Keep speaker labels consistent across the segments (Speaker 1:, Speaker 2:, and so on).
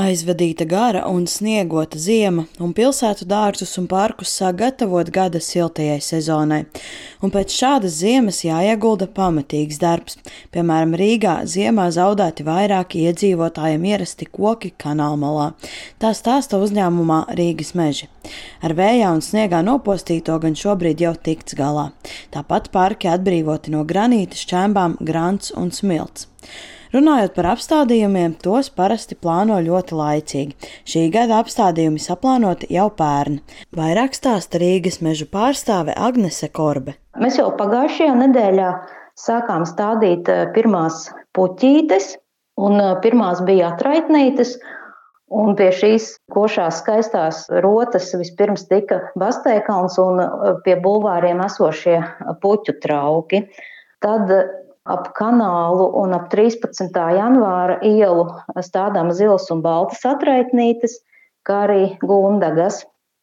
Speaker 1: Aizvadīta gara un sniegota ziema, un pilsētu dārzus un parkus sāk gatavot gada siltajai sezonai. Un pēc šādas ziemas jāiegulda pamatīgs darbs. Piemēram, Rīgā ziemā zaudēti vairāki iedzīvotājiem ierasti koki kanālmalā. Tā stāsta uzņēmumā Rīgas meži. Ar vējā un sniegā nopostīto gan šobrīd jau tikts galā. Tāpat parki atbrīvoti no granīta, šķembām, grants un smilts. Runājot par apstādījumiem, tos parasti plāno ļoti laicīgi. Šī gada apstādījumi saplānoti jau pērn. Vairāk stāsta Rīgas mežu pārstāve Agnese Korbe.
Speaker 2: Mēs jau pagājušajā nedēļā sākām stādīt pirmās puķītes, un pirmās bija atraitnītes, un pie šīs košās skaistās rotas vispirms tika Basteikalns un pie bulvāriem esošie puķu trauki. Tad ap kanālu un ap 13. janvāra ielu stādām zilas un baltas atraitnītes, kā arī gundagas.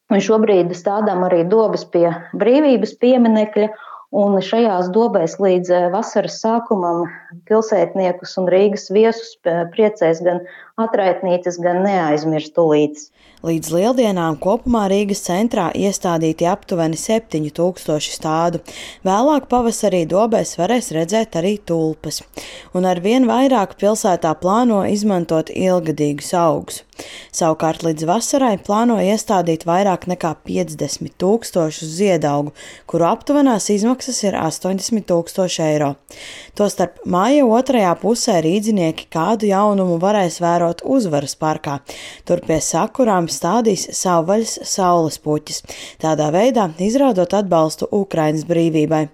Speaker 2: Un šobrīd stādām arī dobes pie Brīvības pieminekļa, un šajās dobēs līdz vasaras sākumam pilsētniekus un Rīgas viesus priecēs gan atraitnītes, gan neaizmirstulītes.
Speaker 1: Līdz lieldienām kopumā Rīgas centrā iestādīti aptuveni 7000 stādu. Vēlāk pavasarī dobēs varēs redzēt arī tulpes. Un arvien vairāk pilsētā plāno izmantot ilgadīgus augus. Savukārt līdz vasarai plāno iestādīt vairāk nekā 50 000 ziedaugu, kuru aptuvenās izmaksas ir 80 000 eiro. Tostarp māja otrajā pusē rīdzinieki kādu jaunumu varēs vērot Uzvaras parkā. Tur pie sakurām stādīs savvaļas saules puķis, tādā veidā izrādot atbalstu Ukrainas brīvībai.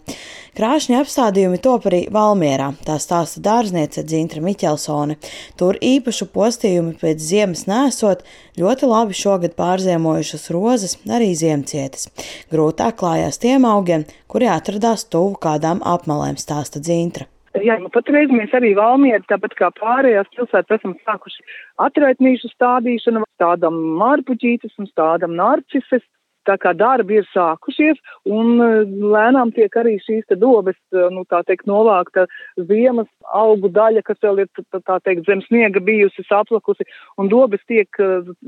Speaker 1: Krāšņi apstādījumi top arī Valmierā, tā stāsta dārzniece Dzintra Miķelsone. Tur īpašu postījumu pēc ziemas nesot, ļoti labi šogad pārziemojušas rozes, arī ziemcietes. Grūtāk klājās tiem augiem, kuri atradās tuvu kādām apmalēm, stāsta Dzintra.
Speaker 3: Jā, patreiz mēs arī Valmieri, tāpat kā pārējās pilsētas, esam sākuši atraitnīšu stādīšanu, stādam mārpuķītes un stādam narcises. Tā kā darbi ir sākušies, un lēnām tiek arī šīs dobes, novākta ziemas augu daļa, kas vēl ir, zem sniega bijusi saplakusi, un dobes tiek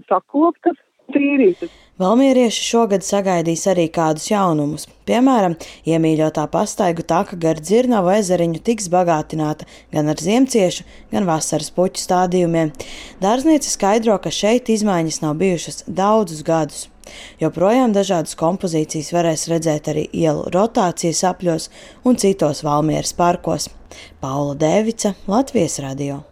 Speaker 3: sakoptas, tīrītas.
Speaker 1: Valmierieši šogad sagaidīs arī kādus jaunumus. Piemēram, iemīļotā pastaigu taka gar Dzirnavu ezeriņu tiks bagātināta gan ar ziemciešu, gan vasaras puķu stādījumiem. Dārzniece skaidro, ka šeit izmaiņas nav bijušas daudzus gadus. Joprojām dažādas kompozīcijas varēs redzēt arī ielu rotācijas apļos un citos Valmieras parkos. Paula Dēvica, Latvijas radio.